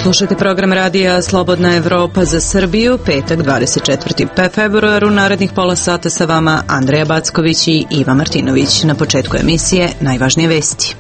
Slušajte program radija Slobodna Evropa za Srbiju, petak 24. februar, u narednih pola sata sa vama Andreja Backović i Iva Martinović. Na početku emisije najvažnije vesti.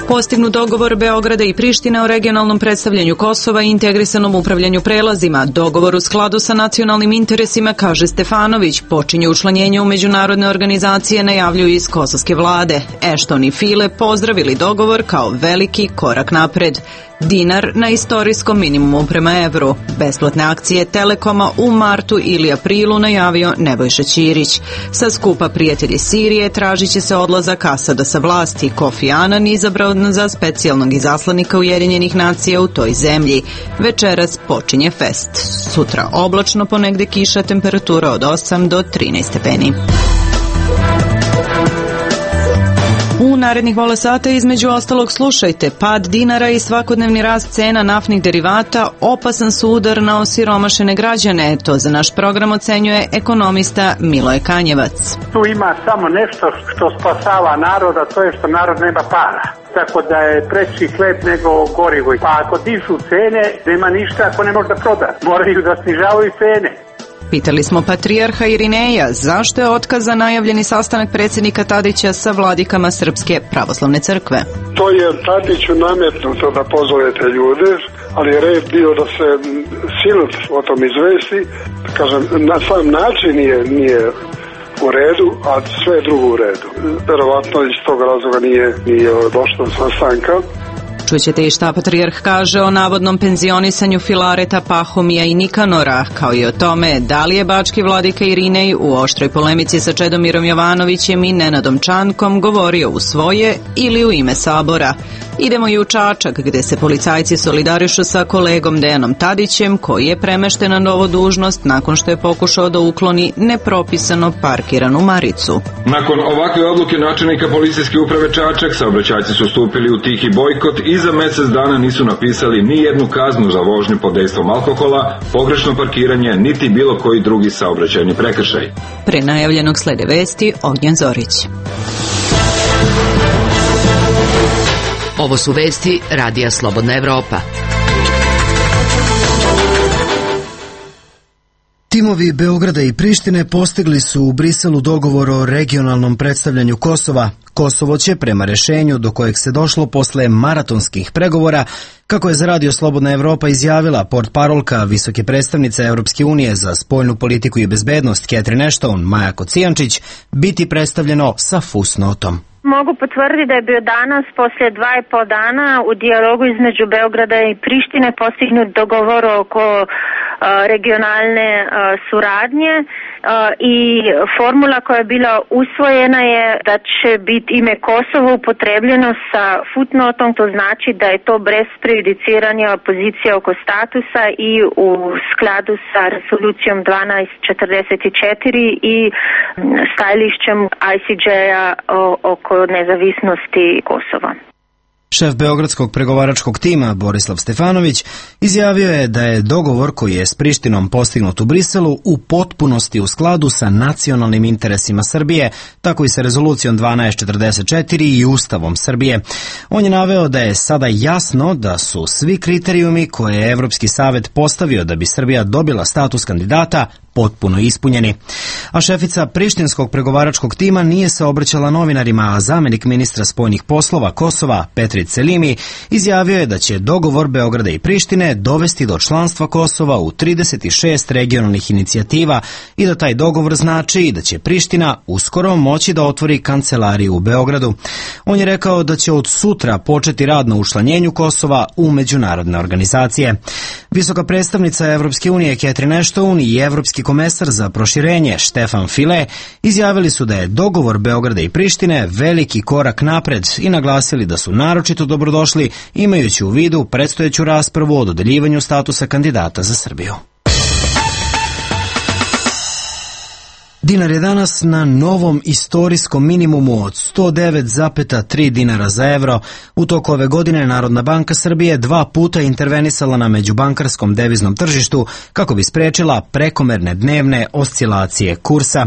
Postignut dogovor Beograda i Prištine o regionalnom predstavljanju Kosova i integrisanom upravljanju prelazima. Dogovor u skladu sa nacionalnim interesima, kaže Stefanović, počinje učlanjenje u međunarodne organizacije, najavljuju iz kosovske vlade. Ešton i File pozdravili dogovor kao veliki korak napred. Dinar na istorijskom minimumu prema evru. Besplatne akcije Telekoma u martu ili aprilu najavio Nebojša Ćirić. Sa skupa Prijatelji Sirije tražit će se odlazak Asada sa vlasti. Kofi Anan izabrao za specijalnog izaslanika Ujedinjenih nacija u toj zemlji. Večeras počinje fest. Sutra oblačno, ponegde kiša, temperatura od 8 do 13 stepeni. U narednih pola sata između ostalog slušajte: pad dinara i svakodnevni rast cena naftnih derivata opasan su udar na osiromašene građane. To za naš program ocenjuje ekonomista Miloje Kanjevac. Tu ima samo nešto što spasava naroda, to je što narod nema para. Tako da je preći hleb nego gorivo. Pa ako dižu cene, nema ništa ako ne može da proda. Moraju da snižavaju cene. Pitali smo patrijarha Irineja zašto je otkazan najavljeni sastanak predsjednika Tadića sa vladikama Srpske pravoslavne crkve. To je Tadiću nametnuto da pozove te ljude, ali je red bio da se sinod o tom izvesti. Kažem, na sam način nije u redu, a sve je drugo u redu. Verovatno iz tog razloga nije došlo do sastanka. Čućete i šta patrijarh kaže o navodnom penzionisanju Filareta, Pahomija i Nikanora, kao i o tome da li je bački vladika Irinej u oštroj polemici sa Čedomirom Jovanovićem i Nenadom Čankom govorio u svoje ili u ime Sabora. Idemo i u Čačak, gde se policajci solidarišu sa kolegom Dejanom Tadićem, koji je premešten na novu dužnost nakon što je pokušao da ukloni nepropisano parkiranu maricu. Nakon ovakve odluke načelnika policijske uprave Čačak, saobraćajci su stupili u tihi bojkot i za mjesec dana nisu napisali ni jednu kaznu za vožnju pod dejstvom alkohola, pogrešno parkiranje, niti bilo koji drugi saobraćajni prekršaj. Pre najavljenog slede vesti Ognjen Zorić. Ovo su vesti radija Slobodna Evropa. Timovi Beograda i Prištine postigli su u Briselu dogovor o regionalnom predstavljanju Kosova. Kosovo će, prema rešenju do kojeg se došlo posle maratonskih pregovora, kako je za radio Slobodna Evropa izjavila portparolka visoke predstavnice Europske unije za spoljnu politiku i bezbednost Catherine Ashton, Maja Kocijančić, biti predstavljeno sa fusnotom. Mogu potvrditi da je bio danas, poslije 2,5 dana, u dijalogu između Beograda i Prištine postignut dogovor oko regionalne suradnje i formula koja je bila usvojena je da će biti ime Kosovo upotrebljeno sa footnotom, to znači da je to bez prejudiciranja pozicije oko statusa i u skladu sa rezolucijom 1244 i stajališćem ICJ-a oko nezavisnosti Kosova. Šef beogradskog pregovaračkog tima Borislav Stefanović izjavio je da je dogovor koji je s Prištinom postignut u Briselu u potpunosti u skladu sa nacionalnim interesima Srbije, tako i sa rezolucijom 1244 i Ustavom Srbije. On je naveo da je sada jasno da su svi kriterijumi koje je Evropski savet postavio da bi Srbija dobila status kandidata potpuno ispunjeni. A šefica prištinskog pregovaračkog tima nije se obraćala novinarima, a zamenik ministra spoljnih poslova Kosova, Petrit Selimi, izjavio je da će dogovor Beograda i Prištine dovesti do članstva Kosova u 36 regionalnih inicijativa i da taj dogovor znači da će Priština uskoro moći da otvori kancelariju u Beogradu. On je rekao da će od sutra početi rad na učlanjenju Kosova u međunarodne organizacije. Visoka predstavnica Evropske unije Catherine Ashton i evropski komesar za proširenje Štefan File izjavili su da je dogovor Beograda i Prištine veliki korak napred i naglasili da su naročito dobrodošli imajući u vidu predstojeću raspravu o dodeljivanju statusa kandidata za Srbiju. Dinar je danas na novom istorijskom minimumu od 109,3 dinara za evro. U toku ove godine Narodna banka Srbije 2 puta intervenisala na međubankarskom deviznom tržištu kako bi sprečila prekomerne dnevne oscilacije kursa.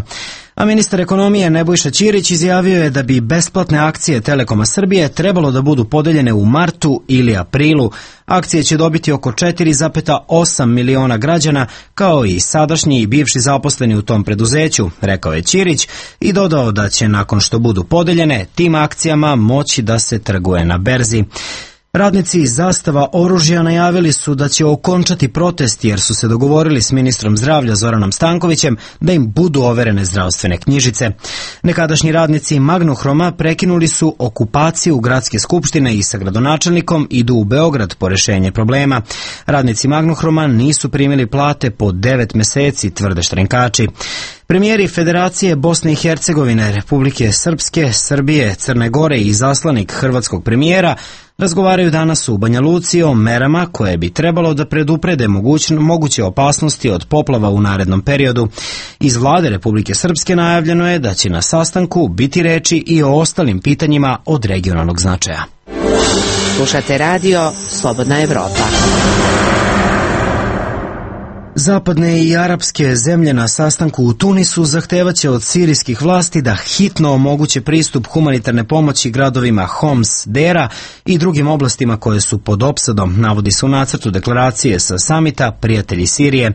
A ministar ekonomije Nebojša Ćirić izjavio je da bi besplatne akcije Telekoma Srbije trebalo da budu podeljene u martu ili aprilu. Akcije će dobiti oko 4,8 miliona građana, kao i sadašnji i bivši zaposleni u tom preduzeću, rekao je Ćirić i dodao da će nakon što budu podeljene tim akcijama moći da se trguje na berzi. Radnici iz Zastava oružja najavili su da će okončati protest jer su se dogovorili s ministrom zdravlja Zoranom Stankovićem da im budu overene zdravstvene knjižice. Nekadašnji radnici Magnohroma prekinuli su okupaciju gradske skupštine i sa gradonačelnikom idu u Beograd po rešenje problema. Radnici Magnohroma nisu primili plate po 9 meseci, tvrde štrenkači. Premijeri Federacije Bosne i Hercegovine, Republike Srpske, Srbije, Crne Gore i izaslanik hrvatskog premijera razgovaraju danas u Banja Luci o merama koje bi trebalo da preduprede moguće opasnosti od poplava u narednom periodu. Iz vlade Republike Srpske najavljeno je da će na sastanku biti reči i o ostalim pitanjima od regionalnog značaja. Slušate radio Slobodna Evropa. Zapadne i arapske zemlje na sastanku u Tunisu zahtevaće od sirijskih vlasti da hitno omoguće pristup humanitarne pomoći gradovima Homs, Dera i drugim oblastima koje su pod opsadom, navodi se u nacrtu deklaracije sa samita Prijatelji Sirije.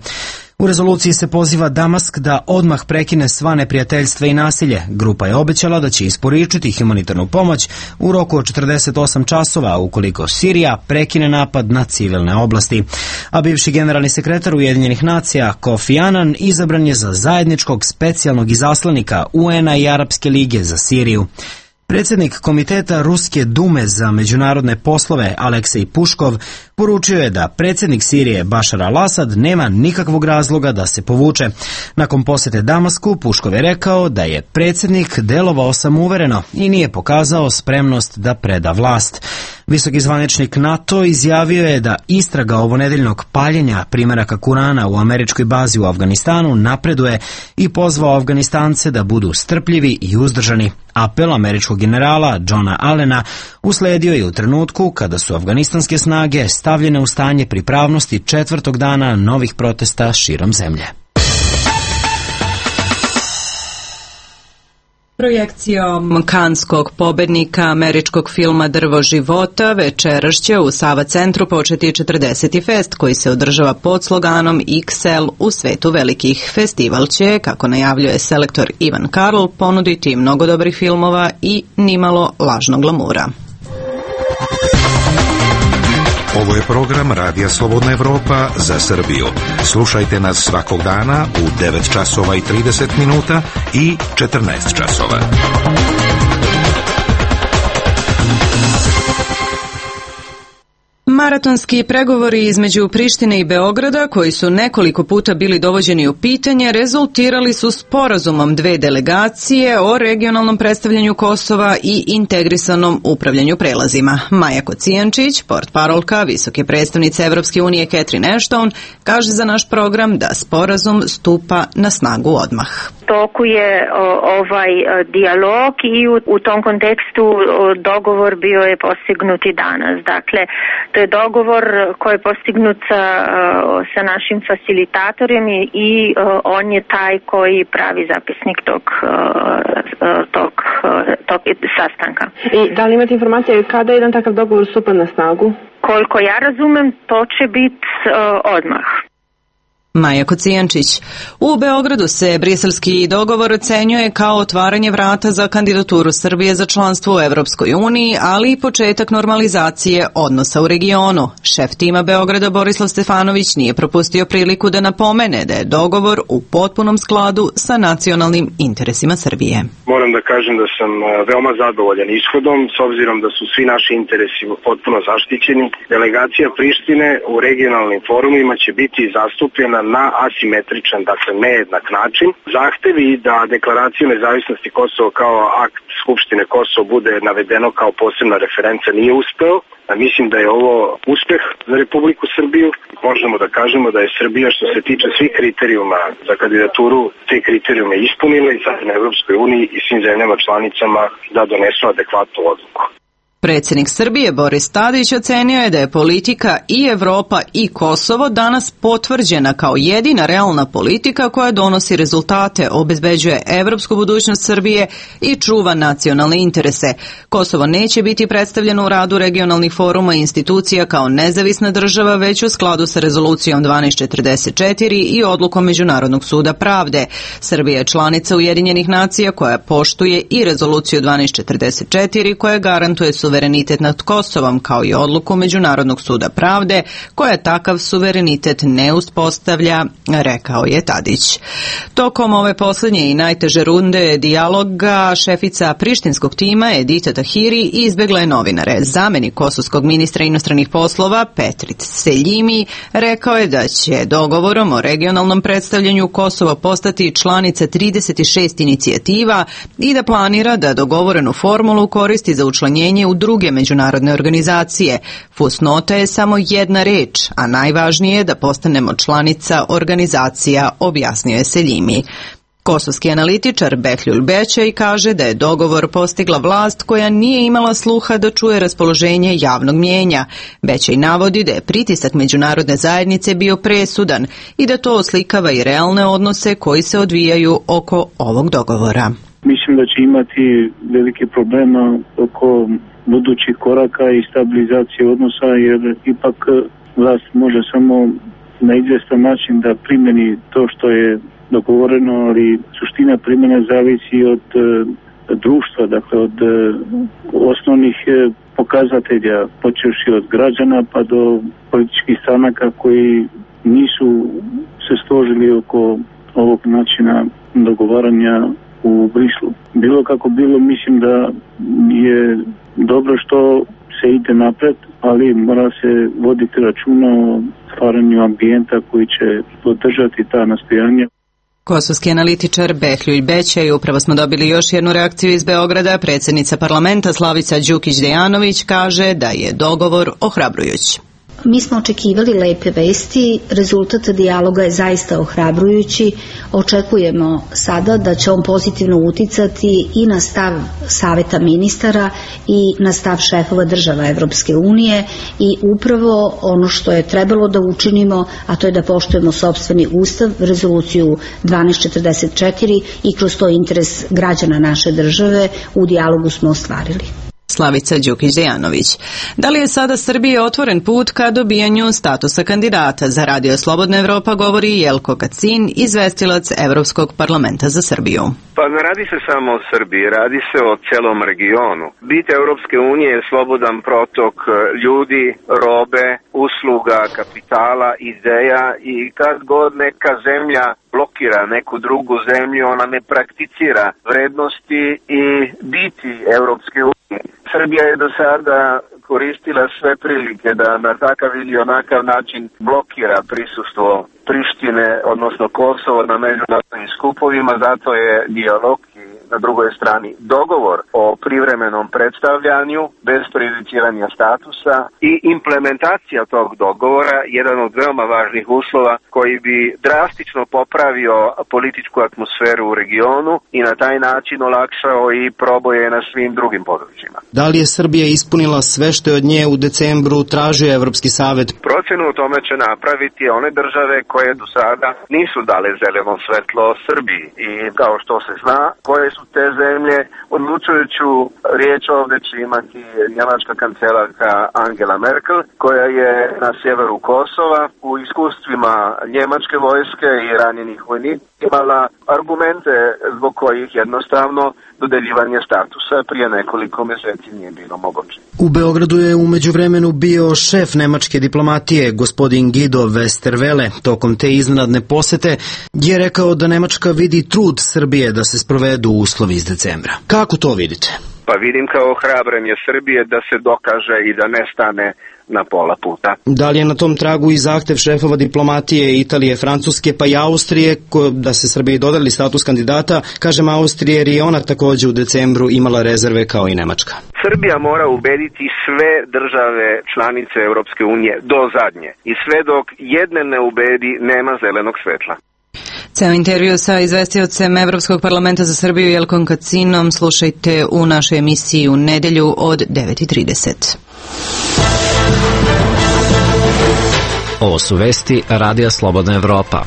U rezoluciji se poziva Damask da odmah prekine sva neprijateljstva i nasilje. Grupa je obećala da će isporučiti humanitarnu pomoć u roku od 48 časova ukoliko Sirija prekine napad na civilne oblasti. A bivši generalni sekretar Ujedinjenih nacija Kofi Annan izabran je za zajedničkog specijalnog izaslanika UN-a i Arapske lige za Siriju. Predsjednik Komiteta Ruske Dume za međunarodne poslove Aleksej Puškov poručio je da predsjednik Sirije Bašar al-Asad nema nikakvog razloga da se povuče. Nakon posjete Damasku, Puškov je rekao da je predsjednik delovao samouvereno i nije pokazao spremnost da preda vlast. Visoki zvaničnik NATO izjavio je da istraga ovonedeljnog paljenja primjeraka Kurana u američkoj bazi u Afganistanu napreduje i pozvao Afganistance da budu strpljivi i uzdržani. Apel američkog generala Johna Allena usledio je u trenutku kada su afganistanske snage stavljene u stanje pripravnosti 4. dana novih protesta širom zemlje. Projekcijom kanskog pobednika američkog filma Drvo života večeras će u Sava centru početi 40. fest koji se održava pod sloganom XL u svetu velikih. Festival će, kako najavljuje selektor Ivan Karl, ponuditi mnogo dobrih filmova i nimalo lažnog glamura. Ovo je program Radija Slobodna Evropa za Srbiju. Slušajte nas svakog dana u 9 časova i 30 minuta i 14 časova. Maratonski pregovori između Prištine i Beograda, koji su nekoliko puta bili dovođeni u pitanje, rezultirali su sporazumom dve delegacije o regionalnom predstavljanju Kosova i integrisanom upravljanju prelazima. Maja Kocijančić, portparolka visoke predstavnice Evropske unije Catherine Ashton, kaže za naš program da sporazum stupa na snagu odmah. Toku je ovaj dijalog i u tom kontekstu dogovor bio je postignut i danas. Dakle, to je dogovor koji je postignut sa našim facilitatorem i on je taj koji pravi zapisnik tog sastanka. I da li imate informacije kada jedan takav dogovor stupa na snagu? Koliko ja razumem, to će biti odmah. Maja Kocijančić. U Beogradu se briselski dogovor ocenjuje kao otvaranje vrata za kandidaturu Srbije za članstvo u Evropskoj uniji, ali i početak normalizacije odnosa u regionu. Šef tima Beograda Borislav Stefanović nije propustio priliku da napomene da je dogovor u potpunom skladu sa nacionalnim interesima Srbije. Moram da kažem da sam veoma zadovoljan ishodom, s obzirom da su svi naši interesi potpuno zaštićeni. Delegacija Prištine u regionalnim forumima će biti zastupljena na asimetričan, dakle nejednak način. Zahtevi da deklaraciju nezavisnosti Kosova kao akt Skupštine Kosova bude navedeno kao posebna referenca nije uspeo. Mislim da je ovo uspeh za Republiku Srbiju. Možemo da kažemo da je Srbija što se tiče svih kriterijuma za kandidaturu te kriterijume ispunila i sad na Evropskoj uniji i svim zemljama članicama da donesu adekvatnu odluku. Predsjednik Srbije Boris Tadić ocenio je da je politika i Evropa i Kosovo danas potvrđena kao jedina realna politika koja donosi rezultate, obezbeđuje evropsku budućnost Srbije i čuva nacionalne interese. Kosovo neće biti predstavljeno u radu regionalnih foruma i institucija kao nezavisna država, već u skladu sa rezolucijom 1244 i odlukom Međunarodnog suda pravde. Srbija je članica Ujedinjenih nacija koja poštuje i rezoluciju 1244 koja garantuje suverenitet nad Kosovom, kao i odluku Međunarodnog suda pravde koja takav suverenitet ne uspostavlja, rekao je Tadić. Tokom ove posljednje i najteže runde dijaloga šefica prištinskog tima Edita Tahiri izbjegla je novinare. Zamenik kosovskog ministra inostranih poslova Petrit Seljimi rekao je da će dogovorom o regionalnom predstavljanju Kosova postati članica 36 inicijativa i da planira da dogovorenu formulu koristi za učlanjenje u druge međunarodne organizacije. Fusnota je samo jedna reč, a najvažnije je da postanemo članica organizacija, objasnio je Seljimi. Kosovski analitičar Behlul Bećaj kaže da je dogovor postigla vlast koja nije imala sluha da čuje raspoloženje javnog mnijenja. Bećaj navodi da je pritisak međunarodne zajednice bio presudan i da to oslikava i realne odnose koji se odvijaju oko ovog dogovora. Mislim da će imati velike problema oko budućih koraka i stabilizacije odnosa, jer ipak vlast može samo na izvjestan način da primjeni to što je dogovoreno, ali suština primjene zavisi od društva, dakle od osnovnih pokazatelja, počevši od građana pa do političkih stranaka koji nisu se složili oko ovog načina dogovaranja u Brislu. Bilo kako bilo, mislim da je dobro što se ide napred, ali mora se voditi računa o stvaranju ambijenta koji će podržati ta nastojanja. Kosovski analitičar Behlul Bećaj. Upravo smo dobili još jednu reakciju iz Beograda. Predsjednica parlamenta Slavica Đukić-Dejanović kaže da je dogovor ohrabrujući. Mi smo očekivali lepe vesti, rezultat dijaloga je zaista ohrabrujući. Očekujemo sada da će on pozitivno uticati i na stav Saveta ministara i na stav šefova država Evropske unije i upravo ono što je trebalo da učinimo, a to je da poštujemo sopstveni ustav, rezoluciju 1244 i kroz to interes građana naše države u dijalogu smo ostvarili. Slavica Đukić-Dejanović. Da li je sada Srbije otvoren put ka dobijanju statusa kandidata? Za Radio Slobodna Evropa govori Jelko Kacin, izvestilac Evropskog parlamenta za Srbiju. Pa ne radi se samo o Srbiji, radi se o celom regionu. Bit Evropske unije je slobodan protok ljudi, robe, usluga, kapitala, ideja i kad god neka zemlja blokira neku drugu zemlju, ona ne prakticira vrednosti i biti Evropske unije. Srbija je do sada koristila sve prilike da na takav ili onakav način blokira prisustvo Prištine, odnosno Kosovo na međunarodnim skupovima, zato je dijalog i na drugoj strani dogovor o privremenom predstavljanju bez prejudiciranja statusa i implementacija tog dogovora jedan od veoma važnih uslova koji bi drastično popravio političku atmosferu u regionu i na taj način olakšao i proboje na svim drugim područjima. Da li je Srbija ispunila sve što je od nje u decembru tražio Evropski savet? Procenu o tome će napraviti one države koje do sada nisu dale zeleno svetlo Srbiji i kao što se zna koje su te zemlje, odlučujuću riječ ovdje će imati njemačka kancelarka Angela Merkel koja je na sjeveru Kosova u iskustvima njemačke vojske i ranjenih vojnika imala argumente zbog kojih jednostavno dodeljivanje statusa prije nekoliko mjeseci nije bilo moguće. U Beogradu je u međuvremenu bio šef nemačke diplomatije, gospodin Guido Westerwelle. Tokom te iznenadne posete je rekao da Nemačka vidi trud Srbije da se sprovedu uslovi iz decembra. Kako to vidite? Pa vidim kao ohrabrenje Srbije da se dokaže i da ne stane na pola puta. Da li je na tom tragu i zahtev šefova diplomatije Italije, Francuske pa i Austrije da se Srbiji dodali status kandidata? Kažem Austrije jer je ona također u decembru imala rezerve kao i Nemačka. Srbija mora ubediti sve države članice Europske unije do zadnje i sve dok jedne ne ubedi nema zelenog svetla. Ceo intervju sa izvestiocem Evropskog parlamenta za Srbiju Jelkom Kacinom slušajte u našoj emisiji u nedelju od 9:30. Ovo su vesti Radija Slobodna Evropa.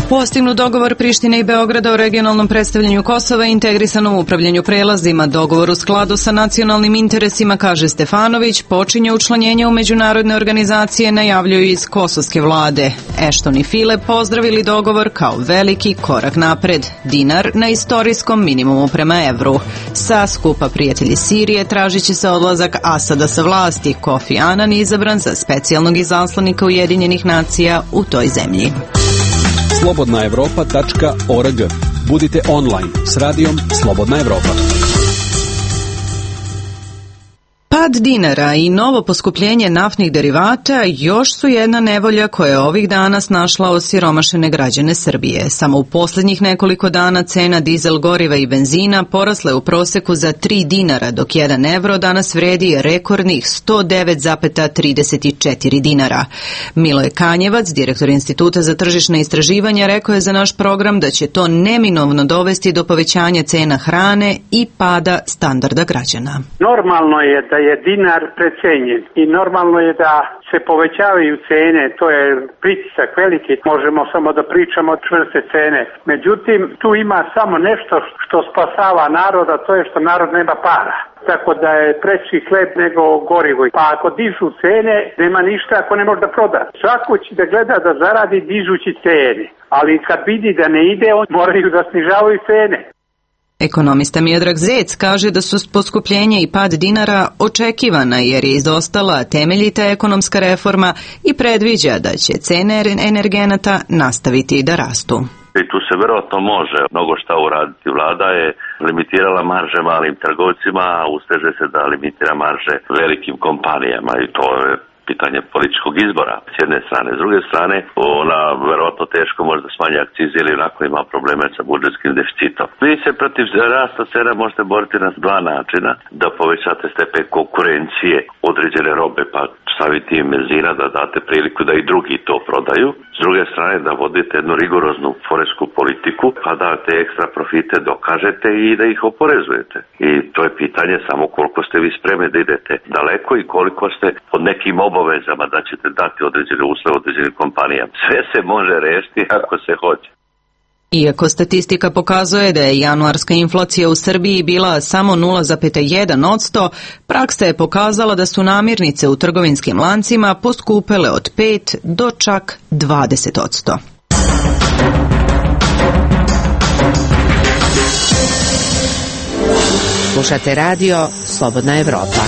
Postignut dogovor Prištine i Beograda o regionalnom predstavljanju Kosova i integrisanom upravljanju prelazima. Dogovor u skladu sa nacionalnim interesima, kaže Stefanović, počinje učlanjenje u međunarodne organizacije, najavljuju iz kosovske vlade. Ashton i File pozdravili dogovor kao veliki korak napred. Dinar na istorijskom minimumu prema evru. Sa skupa prijatelji Sirije tražit će se odlazak Asada sa vlasti. Kofi Annan izabran za specijalnog izaslanika Ujedinjenih nacija u toj zemlji. slobodnaevropa.org. Budite online s radijom Slobodna Evropa. Pad dinara i novo poskupljenje naftnih derivata još su jedna nevolja koja je ovih dana snašla osiromašene građane Srbije. Samo u posljednjih nekoliko dana cena dizel goriva i benzina porasla je u proseku za 3 dinara, dok 1 evro danas vredi rekordnih 109,34 dinara. Miloje Kanjevac, direktor Instituta za tržišne istraživanja, rekao je za naš program da će to neminovno dovesti do povećanja cena hrane i pada standarda građana. Normalno je da je dinar precenjen i normalno je da se povećavaju cene, to je pritisak veliki, možemo samo da pričamo o čvrste cene. Međutim, tu ima samo nešto što spasava naroda, to je što narod nema para. Tako da je preći hleb nego gorivo. Pa ako dižu cene, nema ništa ako ne može da proda. Svako će da gleda da zaradi dižući cene, ali kad vidi da ne ide, on moraju da snižavaju cene. Ekonomista Miodrag Zec kaže da su poskupljenje i pad dinara očekivana jer je izostala temeljita ekonomska reforma i predviđa da će cene energenata nastaviti da rastu. I tu se vjerojatno može mnogo šta uraditi. Vlada je limitirala marže malim trgovcima, a usteže se da limitira marže velikim kompanijama i to je pitanje političkog izbora s jedne strane. S druge strane, ona verovatno teško može da smanji akcize ili onako ima probleme sa budžetskim deficitom. Vi se protiv rasta cena možete boriti na dva načina, da povećate stepen konkurencije određene robe, pa staviti im benzina, da date priliku da i drugi to prodaju. S druge strane, da vodite jednu rigoroznu poresku politiku, pa da te ekstra profite dokažete i da ih oporezujete. I to je pitanje samo koliko ste vi spremni da idete daleko i koliko ste pod nekim obavezama da ćete dati određene uslove određenim kompanijama. Sve se može rešiti ako se hoće. Iako statistika pokazuje da je januarska inflacija u Srbiji bila samo 0,1%, praksa je pokazala da su namirnice u trgovinskim lancima poskupele od 5 do čak 20%. Slušate radio Slobodna Evropa.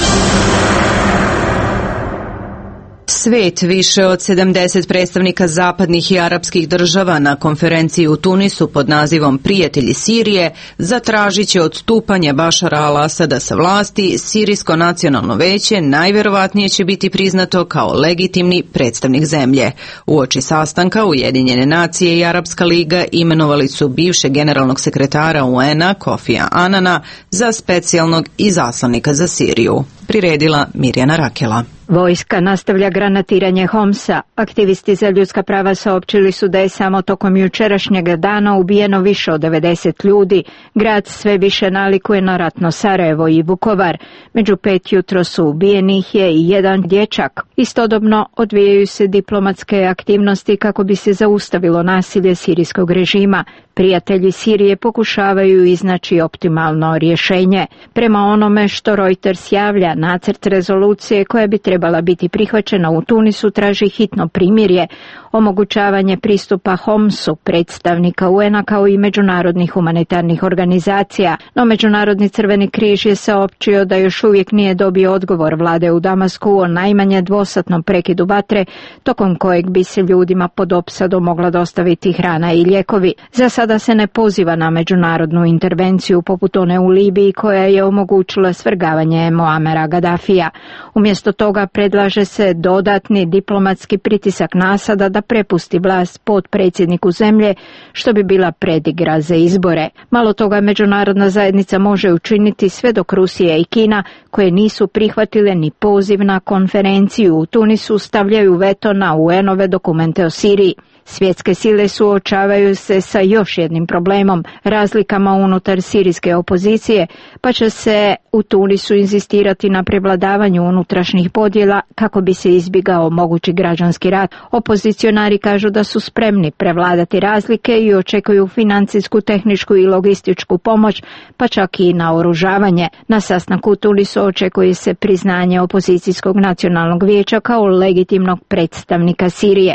Svet, više od 70 predstavnika zapadnih i arapskih država na konferenciji u Tunisu pod nazivom Prijatelji Sirije zatražit će odstupanje Bašara al-Asada sa vlasti. Sirijsko nacionalno veće najverovatnije će biti priznato kao legitimni predstavnik zemlje. Uoči sastanka Ujedinjene nacije i Arapska liga imenovali su bivšeg generalnog sekretara UN-a Kofija Anana za specijalnog izaslanika za Siriju. Priredila Mirjana Rakela. Vojska nastavlja granatiranje Homsa. Aktivisti za ljudska prava saopćili su da je samo tokom jučerašnjeg dana ubijeno više od 90 ljudi. Grad sve više nalikuje na ratno Sarajevo i Vukovar. Među 5 jutro su ubijenih je i jedan dječak. Istodobno odvijaju se diplomatske aktivnosti kako bi se zaustavilo nasilje sirijskog režima. Prijatelji Sirije pokušavaju iznaći optimalno rješenje. Prema onome što Reuters javlja, nacrt rezolucije koja bi trebala biti prihvaćena u Tunisu traži hitno primirje, omogućavanje pristupa Homsu, predstavnika UN-a kao i međunarodnih humanitarnih organizacija, no Međunarodni crveni križ je saopćio da još uvijek nije dobio odgovor vlade u Damasku o najmanje dvosatnom prekidu vatre, tokom kojeg bi se ljudima pod opsadom mogla dostaviti hrana i lijekovi. Za sada se ne poziva na međunarodnu intervenciju poput one u Libiji koja je omogućila svrgavanje Muamera Gaddafija. Umjesto toga Valjeva predlaže se dodatni diplomatski pritisak na Asada da prepusti vlast potpredsjedniku zemlje, što bi bila predigra za izbore. Malo toga međunarodna zajednica može učiniti sve dok Rusija i Kina, koje nisu prihvatile ni poziv na konferenciju u Tunisu, stavljaju veto na UN-ove dokumente o Siriji. Svjetske sile suočavaju se sa još jednim problemom, razlikama unutar sirijske opozicije, pa će se u Tunisu inzistirati na prevladavanju unutrašnjih podjela kako bi se izbjegao mogući građanski rat. Opozicionari kažu da su spremni prevladati razlike i očekuju financijsku, tehničku i logističku pomoć, pa čak i naoružavanje. Na sastanku u Tunisu očekuje se priznanje opozicijskog nacionalnog vijeća kao legitimnog predstavnika Sirije.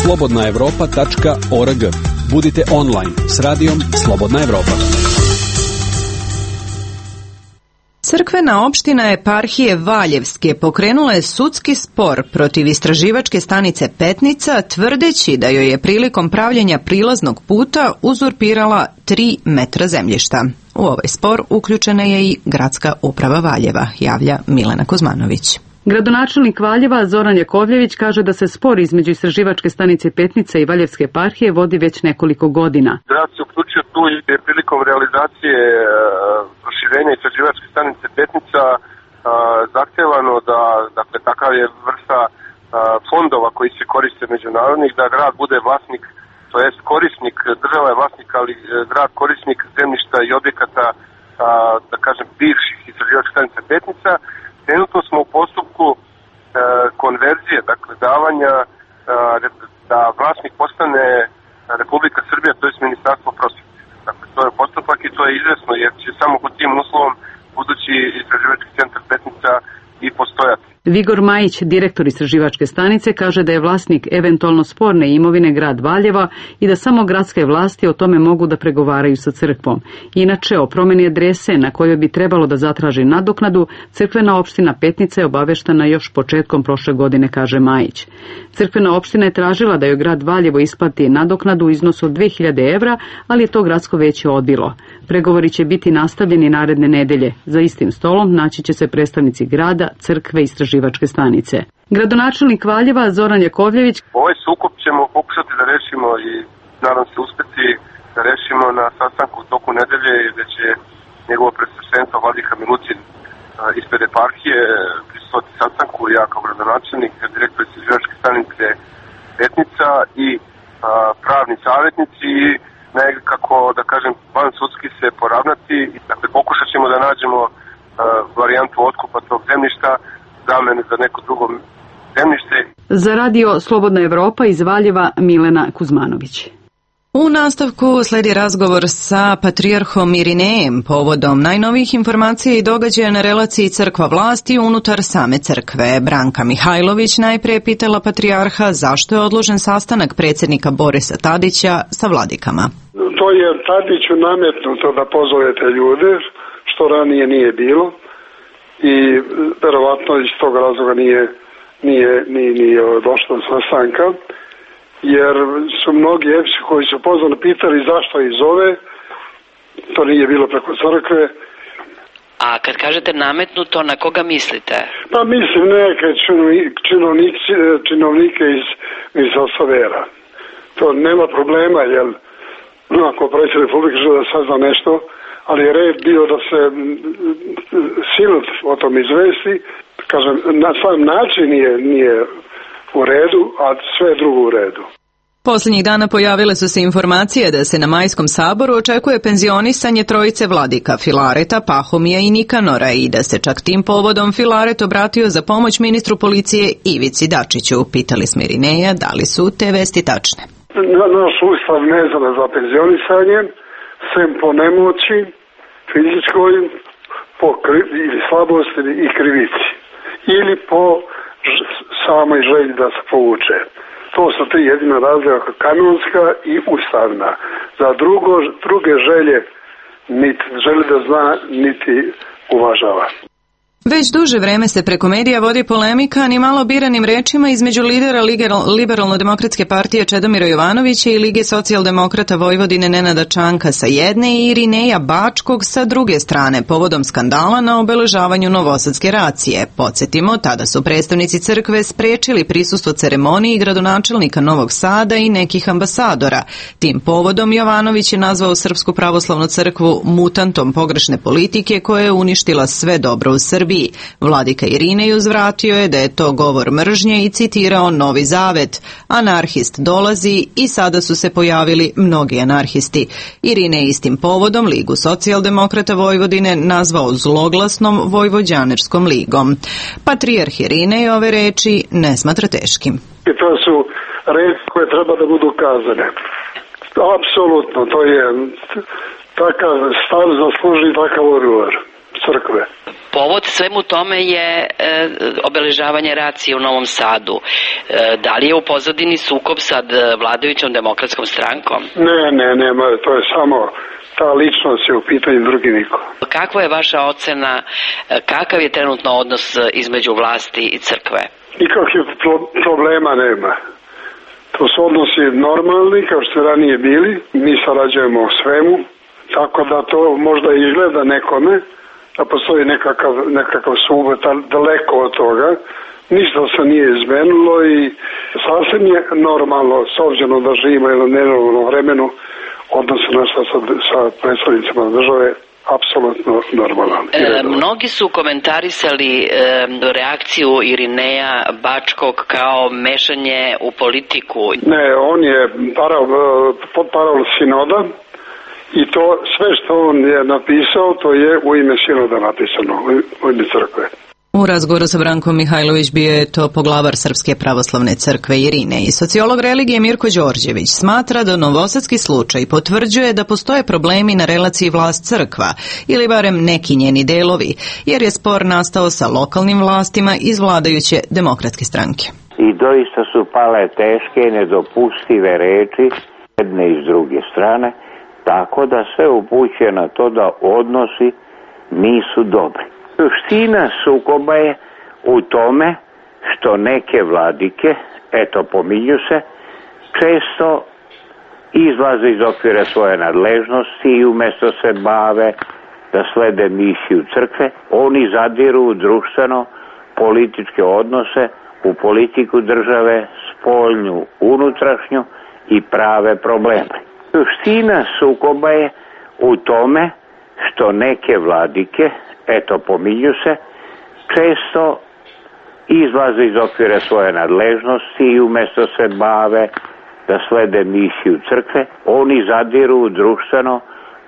Slobodnaevropa.org. Budite online s radijom Slobodna Evropa. Crkvena opština eparhije Valjevske pokrenula je sudski spor protiv istraživačke stanice Petnica, tvrdeći da joj je prilikom pravljenja prilaznog puta uzurpirala 3 metra zemljišta. U ovaj spor uključena je i gradska uprava Valjeva, javlja Milena Kuzmanović. Gradonačelnik Valjeva Zoran Jakovljević kaže da se spor između istraživačke stanice Petnica i Valjevske eparhije vodi već nekoliko godina. Grad se uključio tu i prilikom realizacije proširenja istraživačke stanice Petnica zahtevano da, dakle, takav je vrsta fondova koji se koriste međunarodnih, da grad bude vlasnik, to jest korisnik, država je vlasnik, ali grad korisnik zemljišta i objekata, da kažem, bivših istraživačke stanice Petnica. Trenutno smo u postupku konverzije, dakle davanja da vlasnik postane Republika Srbija, to je Ministarstvo prosvjete. Dakle, to je postupak i to je izvesno, jer će samo pod tim uslovom budući istraživački centar Petnica i postojati. Vigor Majić, direktor istraživačke stanice, kaže da je vlasnik eventualno sporne imovine grad Valjeva i da samo gradske vlasti o tome mogu da pregovaraju sa crkvom. Inače, o promjeni adrese na kojoj bi trebalo da zatraži nadoknadu, crkvena opština Petnica je obaveštena još početkom prošle godine, kaže Majić. Crkvena opština je tražila da joj grad Valjevo isplati nadoknadu u iznosu od 2000 evra, ali je to gradsko veće odbilo. Pregovori će biti nastavljeni naredne nedelje. Za istim stolom naći će se predstavnici grada, crkve i istraživačke stanice. Gradonačelnik Valjeva Zoran Jakovljević: Ovaj sukob ćemo pokušati da rešimo i nadam se uspeti da rešimo na sastanku u toku nedelje, gde će njegovo predsjedništvo vladika Milutin ispred eparhije prisustvovati sastanku, ja kao gradonačelnik, direktor istraživačke stanice Petnica i pravni savjetnici i nekako, da kažem, van sudski se poravnati. Dakle, pokušat ćemo da nađemo varijantu otkupa tog zemljišta, zamene za neko drugo zemljište. Za radio Slobodna Evropa iz Valjeva Milena Kuzmanović. U nastavku sledi razgovor sa patrijarhom Irinejem povodom najnovijih informacija i događaja na relaciji crkva-vlasti unutar same crkve. Branka Mihajlović najprije pitala patrijarha zašto je odložen sastanak predsjednika Borisa Tadića sa vladikama. To je Tadiću nametnuto da pozovete ljude, što ranije nije bilo i verovatno iz tog razloga nije došlo do sastanka. Jer su mnogi epsi koji su pozvani pitali zašto ih zove, to nije bilo preko crkve. A kad kažete nametnuto, na koga mislite? Pa mislim neke činovnike iz Osovera. To nema problema, jer ako predsjednik Republike žele da sazna nešto, ali je red bio da se sinod o tom izvesti. Kažem, na sam način nije u redu, a sve je drugo u redu. Posljednjih dana pojavile su se informacije da se na Majskom saboru očekuje penzionisanje trojice vladika Filareta, Pahomija i Nikanora i da se čak tim povodom Filaret obratio za pomoć ministru policije Ivici Dačiću. Pitali smo Irineja da li su te vesti tačne. Naš ustav ne zna za penzionisanje, sem po nemoći, fizičkoj, po slabosti i krivici. Ili po samoj želji da se povuče. To su tri jedina razlika, kanonska i ustavna. Za druge želje niti želi da zna, niti uvažava. Već duže vreme se preko medija vodi polemika ni malo biranim rečima između lidera Liberalno-demokratske partije Čedomira Jovanovića i Lige socijaldemokrata Vojvodine Nenada Čanka sa jedne i Irineja Bačkog sa druge strane povodom skandala na obeležavanju Novosadske racije. Podsjetimo, tada su predstavnici crkve sprečili prisustvo ceremoniji gradonačelnika Novog Sada i nekih ambasadora. Tim povodom Jovanović je nazvao Srpsku pravoslavnu crkvu mutantom pogrešne politike koja je uništila sve dobro u Srbiji. Vladika Irinej uzvratio je da je to govor mržnje i citirao Novi Zavet. Anarhist dolazi i sada su se pojavili mnogi anarhisti. Irinej istim povodom Ligu socijaldemokrata Vojvodine nazvao zloglasnom Vojvođanerskom ligom. Patrijarh Irinej ove reči ne smatra teškim. I to su reči koje treba da budu kazane. Apsolutno, to je takav stav zasluži takav odgovor crkve. Povod svemu tome je obeležavanje racije u Novom Sadu. Da li je u pozadini sukob sa vladajućom demokratskom strankom? Ne, to je samo ta ličnost je u pitanju, drugi niko. Kakva je vaša ocena, kakav je trenutno odnos između vlasti i crkve? Nikakvih problema nema. To su odnosi normalni, kao što su ranije bili. Mi sarađujemo o svemu, tako da to možda izgleda nekome, da postoji nekakav sukob daleko od toga. Ništa se nije izmenilo i sasvim je normalno, s obzirom da živimo jedno nenormalno vremenu, odnosno naša sa predstavnicima države, apsolutno normalno. Mnogi su komentarisali reakciju Irineja Bačkog kao mešanje u politiku. Ne, on je parol sinoda. I to sve što on je napisao, to je u ime sinoda napisano, u ime crkve. U razgovoru sa Brankom Mihajlović bio je to poglavar Srpske pravoslavne crkve Irinej. Sociolog religije Mirko Đorđević smatra da novosadski slučaj potvrđuje da postoje problemi na relaciji vlast-crkva, ili barem neki njeni delovi, jer je spor nastao sa lokalnim vlastima iz vladajuće demokratske stranke. I doista su pale teške i nedopustive reči jedne i s druge strane, tako da sve upućuje na to da odnosi nisu dobri. Suština sukoba je u tome što neke vladike, pominju se, često izlaze iz okvira svoje nadležnosti i umjesto se bave da slede misiju crkve, oni zadiru u društveno političke odnose, u politiku države, spoljnju, unutrašnju i prave probleme. Suština sukoba je u tome što neke vladike, pominju se, često izlaze iz okvira svoje nadležnosti i umjesto se bave da slede misiju crkve, oni zadiru u društveno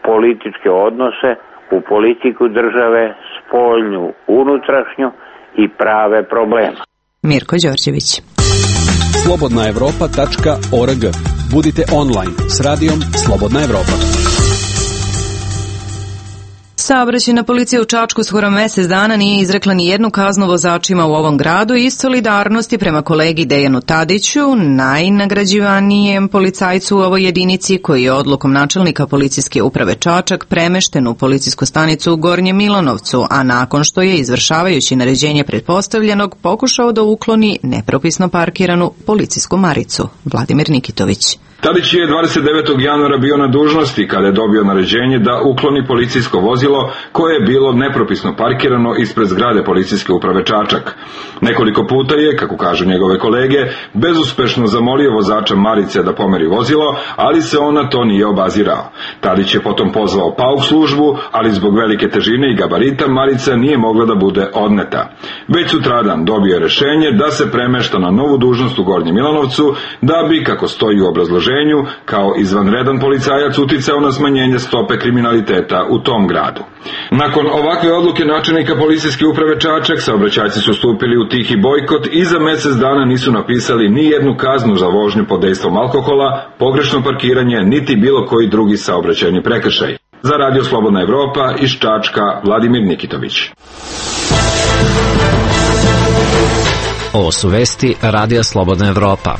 političke odnose, u politiku države, spoljnju, unutrašnju i prave probleme. Mirko Đorđević. slobodnaevropa.org. Budite online s radijom Slobodna Evropa. Saobraćajna policija u Čačku skoro mesec dana nije izrekla ni jednu kaznu vozačima u ovom gradu iz solidarnosti prema kolegi Dejanu Tadiću, najnagrađivanijem policajcu u ovoj jedinici koji je odlukom načelnika policijske uprave Čačak premešten u policijsku stanicu u Gornjem Milanovcu, a nakon što je izvršavajući naređenje pretpostavljenog pokušao da ukloni nepropisno parkiranu policijsku maricu. Vladimir Nikitović. Tadić je 29. januara bio na dužnosti kada je dobio naređenje da ukloni policijsko vozilo koje je bilo nepropisno parkirano ispred zgrade policijske uprave Čačak. Nekoliko puta je, kako kažu njegove kolege, bezuspešno zamolio vozača Marice da pomeri vozilo, ali se on na to nije obazirao. Tadić je potom pozvao PAUK službu, ali zbog velike težine i gabarita Marica nije mogla da bude odneta. Već sutradan dobio je rešenje da se premešta na novu dužnost u Gornjem Milanovcu, da bi, kako stoji u obrazloženju, kao izvanredan policajac uticao na smanjenje stope kriminaliteta u tom gradu. Nakon ovakve odluke načelnika policijske uprave Čačak, saobraćajci su stupili u tihi bojkot i za mesec dana nisu napisali ni jednu kaznu za vožnju pod dejstvom alkohola, pogrešno parkiranje, niti bilo koji drugi saobraćajni prekršaj. Za Radio Slobodna Evropa iz Čačka, Vladimir Nikitović. Ovo su vesti Radija Slobodna Evropa.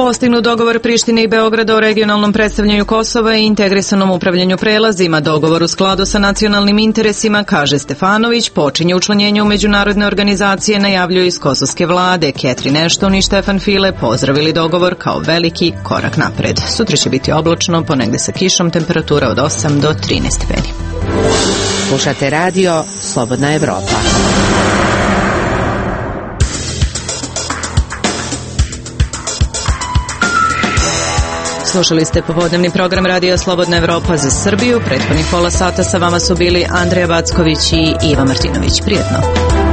Postignut dogovor Prištine i Beograda o regionalnom predstavljanju Kosova i integrisanom upravljanju prelazima. Dogovor u skladu sa nacionalnim interesima, kaže Stefanović, počinje učlanjenje u međunarodne organizacije, najavljuju iz kosovske vlade. Catherine Ashton i Stefan File pozdravili dogovor kao veliki korak napred. Sutra će biti oblačno, ponegde sa kišom, temperatura od 8 do 13 stepeni. Slušate radio Slobodna Evropa. Slušali ste popodnevni program Radija Slobodna Evropa za Srbiju. Prethodnih pola sata sa vama su bili Andreja Backović i Iva Martinović. Prijetno.